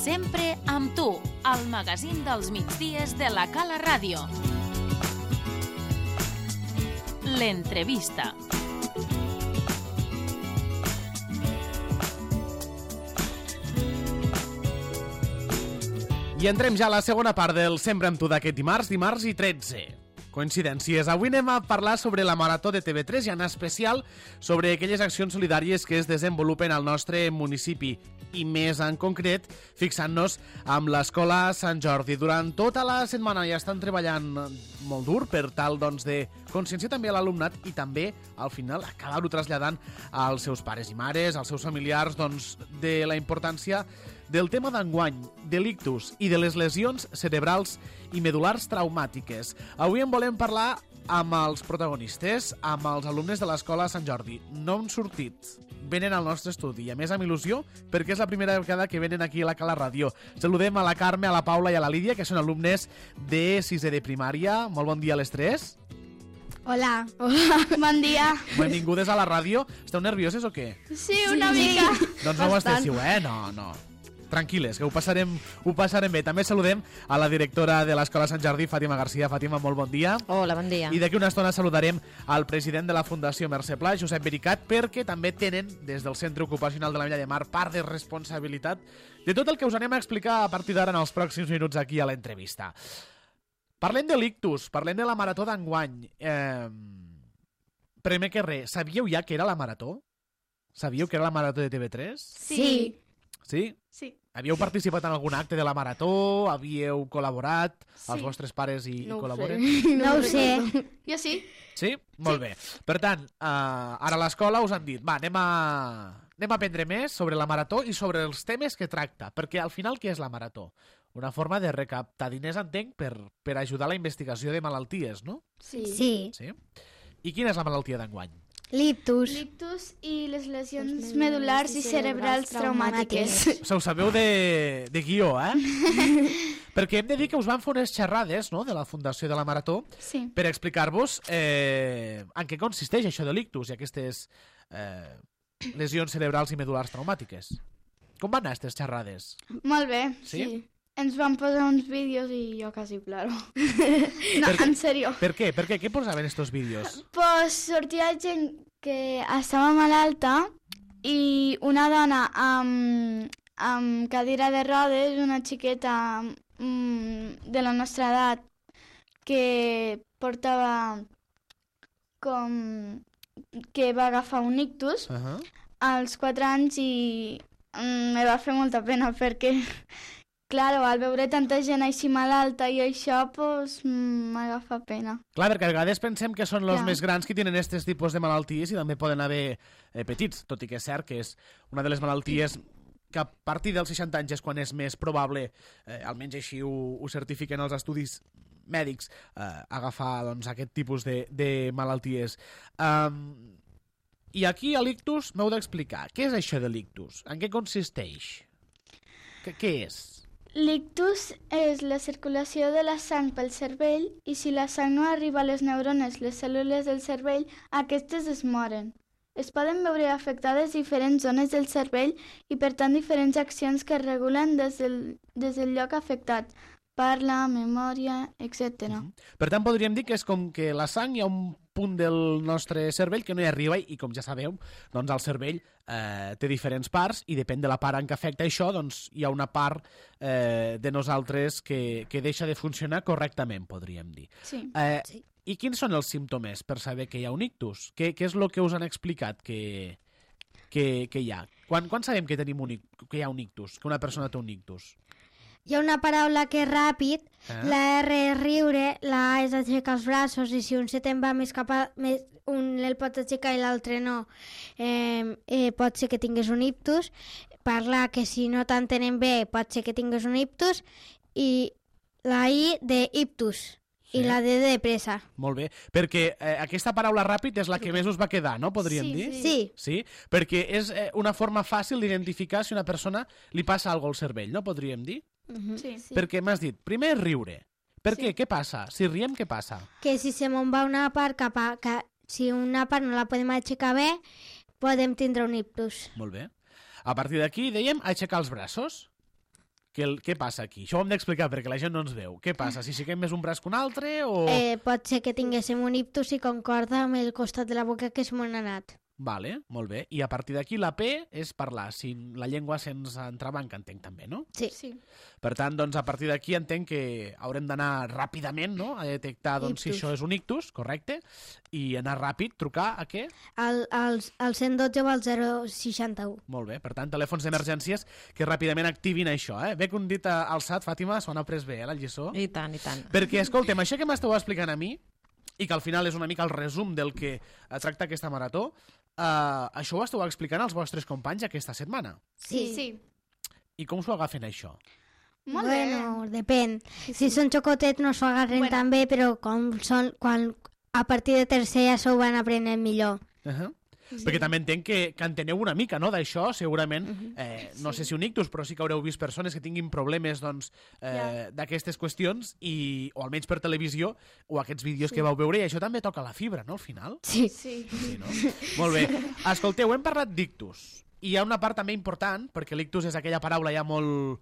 Sempre amb tu, al magazín dels migdies de la Cala Ràdio. L'entrevista. I entrem ja a la segona part del Sempre amb tu d'aquest dimarts i 13. Coincidències. Avui anem a parlar sobre la Marató de TV3 i en especial sobre aquelles accions solidàries que es desenvolupen al nostre municipi i més en concret fixant-nos amb l'Escola Sant Jordi. Durant tota la setmana ja estan treballant molt dur per tal de conscienciar també a l'alumnat i també al final acabar-ho traslladant als seus pares i mares, als seus familiars, de la importància del tema d'enguany, de l'ictus i de les lesions cerebrals i medul·lars traumàtiques. Avui en volem parlar amb els protagonistes, amb els alumnes de l'Escola Sant Jordi. No han sortit, venen al nostre estudi i a més amb il·lusió perquè és la primera vegada que venen aquí a la Cala Ràdio. Saludem a la Carme, a la Paula i a la Lídia, que són alumnes de 6è de primària. Molt bon dia a les tres. Hola. Hola. Bon dia. Benvingudes a la ràdio. Esteu nervioses o què? Sí, una mica. Doncs no ho estessiu, No. Tranquil·les, que ho passarem bé. També saludem a la directora de l'Escola Sant Jordi, Fàtima Garcia. Fàtima, molt bon dia. Hola, bon dia. I d'aquí una estona saludarem al president de la Fundació Mercè Pla, Josep Vericat, perquè també tenen, des del Centre Ocupacional de la Milla de Mar, part de responsabilitat de tot el que us anem a explicar a partir d'ara en els pròxims minuts aquí a l'entrevista. Parlem de l'ictus, parlem de la Marató d'enguany. Primer que res, sabíeu ja que era la Marató? Sabíeu que era la Marató de TV3? Sí. Sí? Sí. Havíeu participat en algun acte de la Marató? Havíeu col·laborat? Sí. Els vostres pares hi col·laboren? No ho sé. Jo sí. Sí? Molt bé. Per tant, ara a l'escola us han dit anem a aprendre més sobre la Marató i sobre els temes que tracta, perquè al final què és la Marató? Una forma de recaptar diners, entenc, per ajudar a la investigació de malalties, no? Sí. Sí? I quina és la malaltia d'enguany? L'ictus. L'ictus i les lesions medul·lars i cerebrals traumàtiques. Se ho sabeu de guió, Perquè hem de dir que us van fer unes xerrades, no?, de la Fundació de la Marató, sí, per explicar-vos en què consisteix això de l'ictus i aquestes lesions cerebrals i medul·lars traumàtiques. Com van anar aquestes xerrades? Molt bé, sí. Ens van posar uns vídeos i jo quasi ploro. No, en sèrio. Per què? Què posaven estos vídeos? Pues sortia gent que estava malalta i una dona amb cadira de rodes, una xiqueta de la nostra edat que portava que va agafar un ictus als 4 anys i me va fer molta pena perquè claro, al veure tanta gent així malalta i això, pues, m'agafa pena. Clar, perquè a vegades pensem que són els més grans que tenen aquests tipus de malalties i també poden haver petits, tot i que és cert que és una de les malalties que a partir dels 60 anys és quan és més probable, almenys així ho certifiquen els estudis mèdics, agafar aquest tipus de malalties. I aquí a l'ictus m'heu d'explicar, què és això de l'ictus? En què consisteix? Què és? L'ictus és la circulació de la sang pel cervell i si la sang no arriba a les neurones, les cèl·lules del cervell, aquestes es moren. Es poden veure afectades diferents zones del cervell i per tant diferents accions que es regulen des del lloc afectat. Parla, memòria, etc. Per tant, podríem dir que és com que la sang hi ha un punt del nostre cervell que no hi arriba i, com ja sabeu, doncs el cervell té diferents parts i depèn de la part en què afecta això, doncs hi ha una part de nosaltres que deixa de funcionar correctament, podríem dir. Sí. I quins són els símptomes per saber que hi ha un ictus? Què és el que us han explicat que hi ha? Quan sabem que hi ha un ictus, que una persona té un ictus? Hi ha una paraula que és ràpid, la R és riure, la A és aixecar els braços i si un se te'n va més cap a... un el pot aixecar i l'altre no, pot ser que tingués un ictus. Parlar que si no t'entenen bé pot ser que tingués un ictus i la I de ictus. I la D de pressa. Molt bé, perquè aquesta paraula ràpid és la que més us va quedar, no? Podríem dir? Sí, perquè és una forma fàcil d'identificar si una persona li passa alguna cosa al cervell, no? Podríem dir? Sí. Perquè m'has dit, primer és riure. Per què? Què passa? Si riem, què passa? Que si se me'n va una part si una part no la podem aixecar bé, podem tindre un ictus. Molt bé. A partir d'aquí, dèiem, aixecar els braços. Què passa aquí? Això ho hem d'explicar perquè la gent no ens veu. Què passa? Si aixequem més un braç que un altre o... Pot ser que tinguéssim un ictus i concorda amb el costat de la boca que és m'ho ha anat. Vale, molt bé. I a partir d'aquí la P és parlar. Si la llengua se'ns entrebanca, entenc també, no? Sí. Per tant, doncs, a partir d'aquí entenc que haurem d'anar ràpidament, no?, a detectar doncs, si això és un ictus, correcte, i anar ràpid, trucar a què? Al 112 o al 061. Molt bé, per tant, telèfons d'emergències que ràpidament activin això, eh? Bé que un dit alçat, Fàtima, s'ho han après bé, la lliçó. I tant, i tant. Perquè, escolta'm, això que m'esteu explicant a mi, i que al final és una mica el resum del que tracta aquesta marató, això ho esteu explicant als vostres companys aquesta setmana. Sí. I com s'ho agafen, això? Molt bé. Bueno, depèn. Si són xocotets no s'ho agarren tan bé, però quan a partir de tercer ja s'ho van aprenent millor. Perquè també entenc que enteneu una mica, no?, d'això, segurament, no sé si un ictus, però sí que haureu vist persones que tinguin problemes doncs, d'aquestes qüestions, o almenys per televisió, o aquests vídeos que vau veure, i això també toca la fibra, no?, al final? Sí. No? Molt bé. Escolteu, hem parlat d'ictus, i hi ha una part també important, perquè l'ictus és aquella paraula ja molt...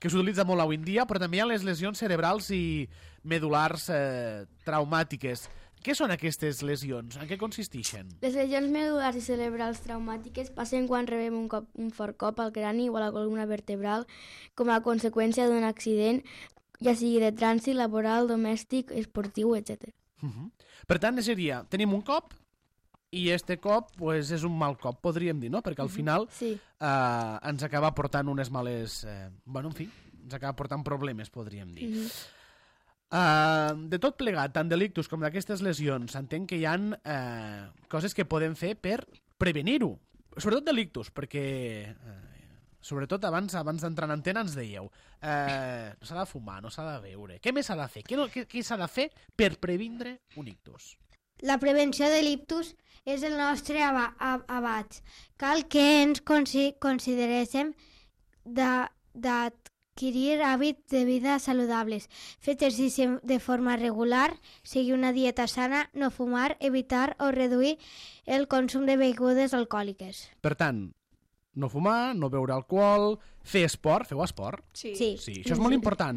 que s'utilitza molt avui en dia, però també hi ha les lesions cerebrals i medul·lars traumàtiques. Què són aquestes lesions? En què consisteixen? Les lesions medul·lars i cerebrals traumàtiques passen quan rebem un fort cop al crani o a la columna vertebral com a conseqüència d'un accident, ja sigui de trànsit, laboral, domèstic, esportiu, etc. Per tant, seria, tenim un cop i este cop pues, és un mal cop, podríem dir, no? Perquè al final ens acaba portant unes males... bueno, en fi, ens acaba portant problemes, podríem dir. De tot plegat, tant de l'ictus com d'aquestes lesions, entenc que hi ha coses que podem fer per prevenir-ho. Sobretot de l'ictus, perquè sobretot abans d'entrar en antena ens dèieu no s'ha de fumar, no s'ha de beure. Què més s'ha de fer? Què s'ha de fer per previndre un ictus? La prevenció de l'ictus és el nostre abast. Cal que ens consideréssim adquirir hàbits de vida saludables, fer exercici de forma regular, seguir una dieta sana, no fumar, evitar o reduir el consum de begudes alcohòliques. Per tant, no fumar, no beure alcohol, fer esport. Feu esport? Sí. Això és molt important,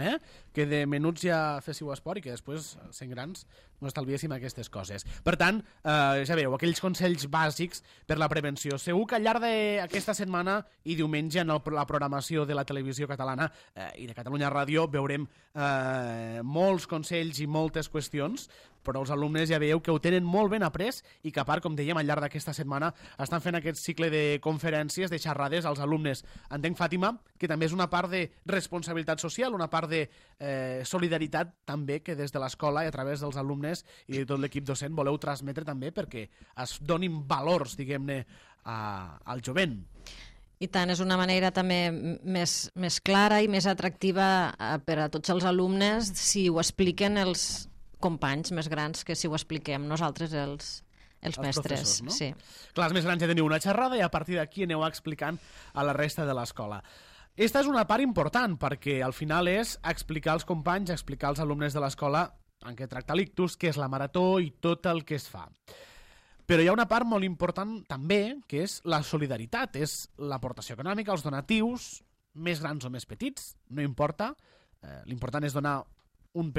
que de menuts ja féssiu esport i que després, sent grans, no estalviéssim aquestes coses. Per tant, ja veieu, aquells consells bàsics per la prevenció. Segur que al llarg d'aquesta setmana i diumenge en la programació de la televisió catalana i de Catalunya Ràdio veurem molts consells i moltes qüestions, però els alumnes ja veieu que ho tenen molt ben après i que a part, com dèiem, al llarg d'aquesta setmana estan fent aquest cicle de conferències, de xerrades als alumnes. Entenc, Fàtima, que també és una part de responsabilitat social, una part de solidaritat també que des de l'escola i a través dels alumnes i de tot l'equip docent voleu transmetre també perquè es donin valors, diguem-ne, al jovent. I tant, és una manera també més clara i més atractiva per a tots els alumnes si ho expliquen els companys més grans que si ho expliquem nosaltres els mestres. No? Sí. Clar, els més grans ja teniu una xerrada i a partir d'aquí aneu explicant a la resta de l'escola. Esta és una part important perquè al final és explicar als companys, explicar als alumnes de l'escola en què tracta l'ictus, què és la marató i tot el que es fa. Però hi ha una part molt important també, que és la solidaritat, és l'aportació econòmica, els donatius, més grans o més petits, no importa. L'important és donar una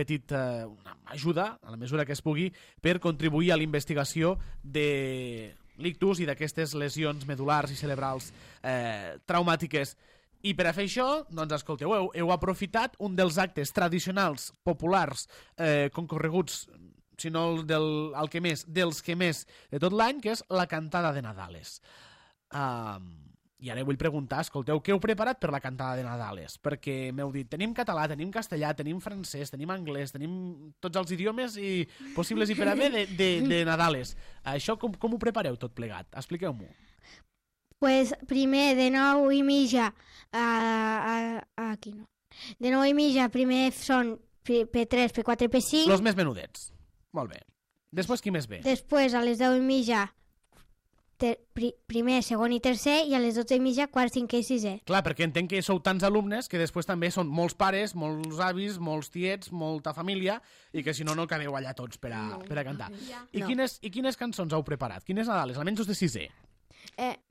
ajuda, a la mesura que es pugui, per contribuir a la investigació de l'ictus i d'aquestes lesions medul·lars i cerebrals traumàtiques. I per a fer això, doncs, escolteu, heu aprofitat un dels actes tradicionals, populars, concorreguts, si no el que més, dels que més de tot l'any, que és la cantada de Nadales. I ara vull preguntar, escolteu, què heu preparat per la cantada de Nadales? Perquè m'heu dit, tenim català, tenim castellà, tenim francès, tenim anglès, tenim tots els idiomes possibles i per haver de Nadales. Això com ho prepareu tot plegat? Expliqueu-m'ho. Pues primer de 9:30 aquí no. De 9:30 primer són P3, P4 i P5. Los més menudets. Molt bé. Després qui més ve? Després a les 10:30 primer, segon i tercer i a les 12:30 quart, cinquè i sisè. Clar, perquè entenc que sou tants alumnes que després també són molts pares, molts avis, molts tiets, molta família i que si no, no acabeu allà tots per a cantar. I quines cançons heu preparat? Quines Nadales? Almenys els de sisè.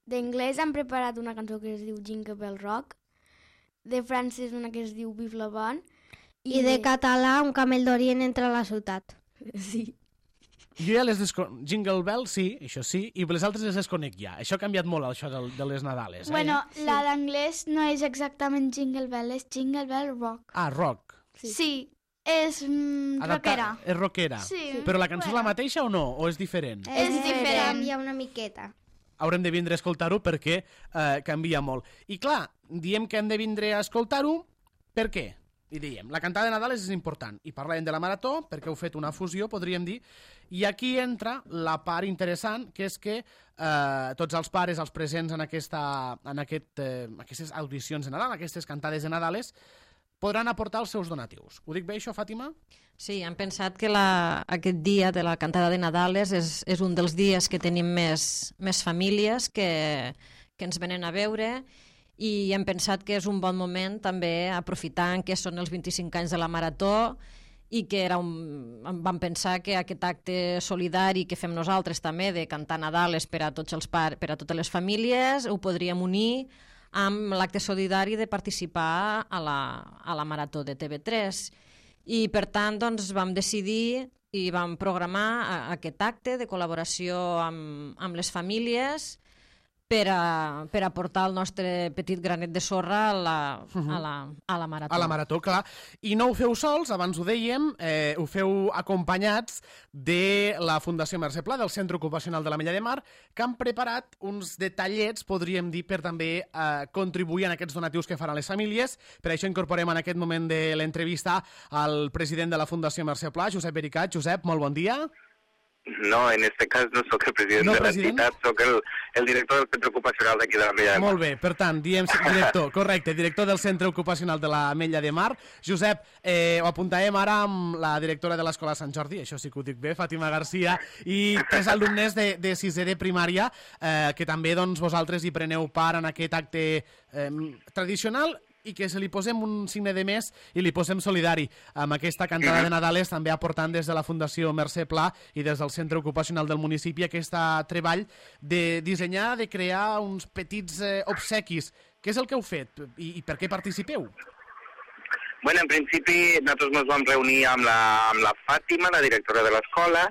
D'anglès han preparat una cançó que es diu Jingle Bell Rock de francès una que es diu Vive la Bonne. I de català, un camell d'Orient entra a la ciutat. Sí. Jo ja les Jingle Bell, sí, això sí, i les altres les desconec ja. Això ha canviat molt, això de les Nadales. Bueno, la d'anglès no és exactament Jingle Bell, és Jingle Bell Rock. Ah, rock. Sí, és rockera. És rockera. Sí. Però la cançó és la mateixa o no? O és diferent? És diferent. Canvia una miqueta. Haurem de vindre a escoltar-ho perquè canvia molt. I clar, diem que hem de vindre a escoltar-ho, per què? I diem, la cantada de Nadal és important. I parlem de la marató, perquè heu fet una fusió, podríem dir, i aquí entra la part interessant, que és que tots els pares, els presents en aquestes audicions de Nadal, aquestes cantades de Nadales, podran aportar els seus donatius. Ho dic bé, això, Fàtima? Sí, hem pensat que aquest dia de la cantada de Nadales és un dels dies que tenim més famílies que ens venen a veure, i hem pensat que és un bon moment també, aprofitant que són els 25 anys de la Marató, i que vam pensar que aquest acte solidari que fem nosaltres també, de cantar Nadales per a tots els per a totes les famílies, ho podríem unir amb l'acte solidari de participar a la Marató de TV3. I per tant doncs, vam decidir i vam programar aquest acte de col·laboració amb les famílies per aportar el nostre petit granet de sorra a la Marató. A la Marató, clar. I no ho feu sols, abans ho dèiem, ho feu acompanyats de la Fundació Mercè Pla, del Centre Ocupacional de l'Ametlla de Mar, que han preparat uns detallets, podríem dir, per també contribuir en aquests donatius que faran les famílies. Per això incorporem en aquest moment de l'entrevista al president de la Fundació Mercè Pla, Josep Bericat. Josep, molt bon dia. No, en este cas no sóc el president de l'entitat, sóc el director del Centre Ocupacional d'aquí de l'Ametlla de Mar. Molt bé, per tant, diem director, correcte, director del Centre Ocupacional de l'Ametlla de Mar. Josep, ho apuntàvem ara amb la directora de l'Escola Sant Jordi, això sí que ho dic bé, Fàtima Garcia, i 3 alumnes de sisè de primària, que també doncs, vosaltres hi preneu part en aquest acte tradicional, i que se li posem un signe de més i li posem solidari amb aquesta cantada de Nadales, també aportant des de la Fundació Mercè Pla i des del Centre Ocupacional del municipi aquest treball de dissenyar, de crear uns petits obsequis. Què és el que heu fet i per què participeu? Bueno, en principi nosaltres ens vam reunir amb la Fàtima, la directora de l'escola,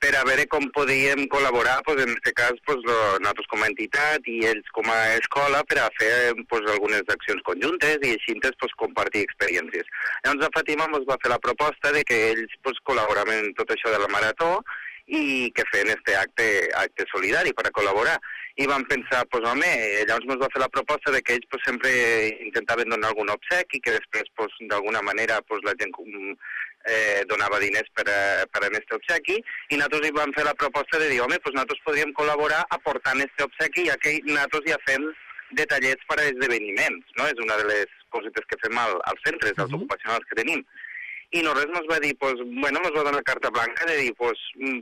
per a veure com podíem col·laborar, en aquest cas, nosaltres com a entitat i ells com a escola, per a fer algunes accions conjuntes i així compartir experiències. Llavors la Fàtima ens va fer la proposta de que ells col·laboraven en tot això de la Marató i que feien aquest acte solidari per a col·laborar. I vam pensar, llavors ens va fer la proposta de que ells sempre intentaven donar algun obsequi i que després, d'alguna manera, la gent donava diners per a aquest obsequi, i nosaltres hi vam fer la proposta de dir, nosaltres podríem col·laborar aportant aquest obsequi, ja que nosaltres ja fem detallets per a esdeveniments, no? És una de les cosetes que fem als centres, als ocupacionals que tenim. I nosaltres ens va dir, ens va donar carta blanca de dir,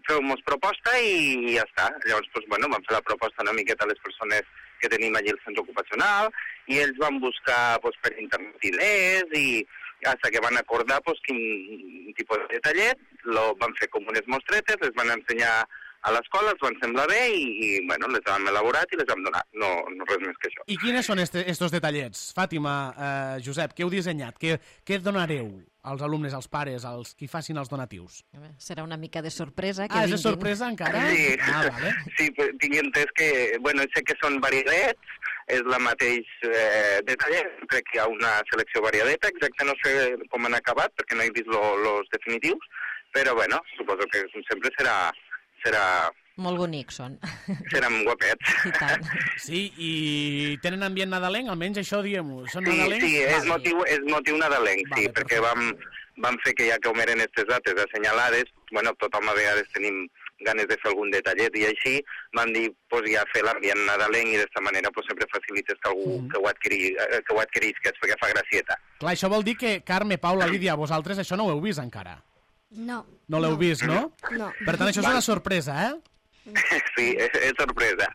feu-nos proposta i ja està. Llavors, vam fer la proposta una miqueta a les persones que tenim allí al centre ocupacional, i ells van buscar per internet idees i fins que van acordar quin tipus de detallet, van fer com unes mostretes, les van ensenyar a l'escola, els van semblar bé i les vam elaborat i les vam donar, no res més que això. I quines són estos detallets? Fàtima, Josep, què heu dissenyat? Què donareu als alumnes, als pares, als qui facin els donatius? Serà una mica de sorpresa. És de sorpresa encara? Sí, vale. Sí, tinc entès que, sé que són variadets, és la mateix detallet, crec que hi ha una selecció variadeta, exacte no sé com han acabat, perquè no he vist els definitius, però suposo que sempre serà... Molt bonics són. Seran guapets. I tant. Sí, i tenen ambient nadalenc, almenys això diguem-ho. Són nadalencs? Sí, és motiu nadalenc, sí, perquè vam fer que ja que ho eren aquestes dates assenyalades, tothom a vegades tenim ganes de fer algun detallet i així, van dir ja fer l'ambient nadalenc i d'esta manera sempre facilites que algú que ho adquirisca, perquè fa gracieta. Clar, això vol dir que Carme, Paula, Lídia, vosaltres això no ho heu vist encara? No. No l'heu vist, no? No. Per tant, això és una sorpresa, eh? Sí, és sorpresa.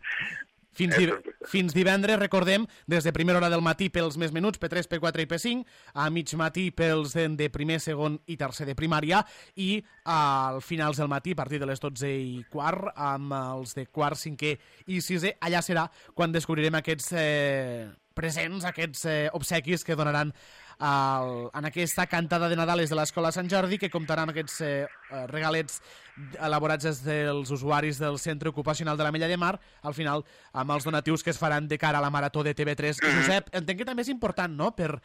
Fins divendres, recordem, des de primera hora del matí pels més menuts, P3, P4 i P5, a mig matí pels de primer, segon i tercer de primària, i al finals del matí, a partir de les 12:15, amb els de quart, cinquè i sisè. Allà serà quan descobrirem aquests presents, aquests obsequis que donaran en aquesta cantada de Nadales de l'Escola Sant Jordi, que comptarà amb aquests regalets elaborats des dels usuaris del Centre Ocupacional de l'Ametlla de Mar, al final amb els donatius que es faran de cara a la Marató de TV3. Josep, entenc que també és important, no?, per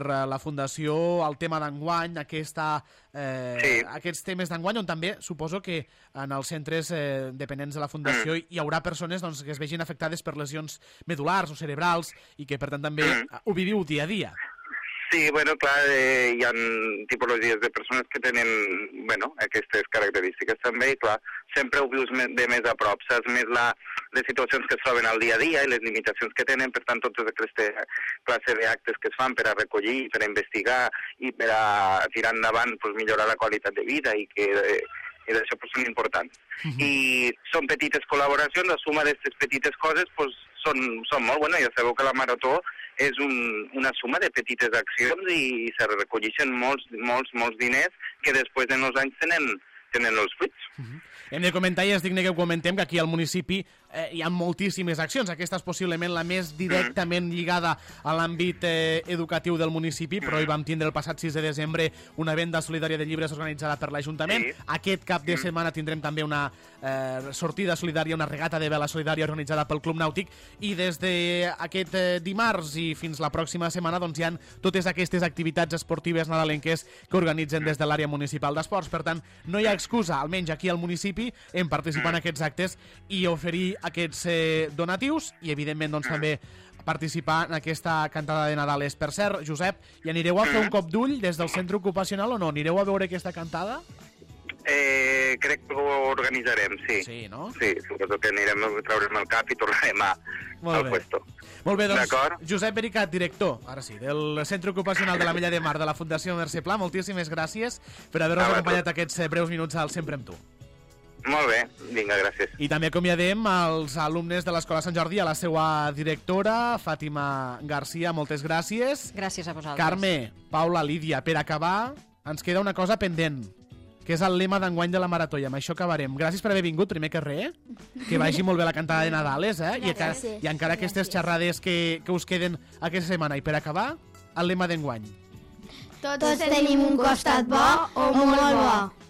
la Fundació, el tema d'enguany, aquests temes d'enguany, on també suposo que en els centres dependents de la Fundació hi haurà persones que es vegin afectades per lesions medul·lars o cerebrals i que, per tant, també ho viviu dia a dia. Sí, bueno, clar, hi ha tipologies de persones que tenen, aquestes característiques també, i clar, sempre ho vius de més a prop, saps més les situacions que es troben al dia a dia i les limitacions que tenen, per tant, totes aquestes classes d'actes que es fan per a recollir, per a investigar i per a tirar endavant, millorar la qualitat de vida i d'això són importants. I són petites col·laboracions, la suma d'aquestes petites coses són molt bones. Ja sabeu que la Marató és una suma de petites accions i se recolleixen molts diners que després de uns anys tenen els fruits. Hem de comentar, i és digne que ho comentem, que aquí al municipi hi ha moltíssimes accions. Aquesta és possiblement la més directament lligada a l'àmbit educatiu del municipi, però hi vam tindre el passat 6 de desembre una venda solidària de llibres organitzada per l'Ajuntament. Aquest cap de setmana tindrem també una sortida solidària, una regata de vela solidària organitzada pel Club Nàutic, i des d'aquest dimarts i fins la pròxima setmana hi ha totes aquestes activitats esportives nadalenques que organitzen des de l'àrea municipal d'esports. Per tant, no hi ha excusa, almenys aquí al municipi, en participar en aquests actes i oferir aquests donatius i, evidentment, també participar en aquesta cantada de Nadales. Per cert, Josep, hi anireu a fer un cop d'ull des del centre ocupacional o no? Anireu a veure aquesta cantada? Crec que ho organitzarem, sí. Sí, no? Sí, suposo que traurem el cap i tornarem al puesto. Molt bé, doncs, Josep Bericat, director, ara sí, del Centre Ocupacional de l'Ametlla de Mar de la Fundació Mercè Pla, moltíssimes gràcies per haver-nos acompanyat aquests breus minuts al Sempre amb tu. Molt bé, vinga, gràcies. I també acomiadem els alumnes de l'Escola Sant Jordi, a la seva directora, Fàtima Garcia, moltes gràcies. Gràcies a vosaltres. Carme, Paula, Lídia, per acabar, ens queda una cosa pendent, que és el lema d'enguany de la Marató, i amb això acabarem. Gràcies per haver vingut, primer que res, que vagi molt bé la cantada de Nadales, i encara aquestes xerrades que us queden aquesta setmana. I per acabar, el lema d'enguany. Tots tenim un costat bo o molt bo.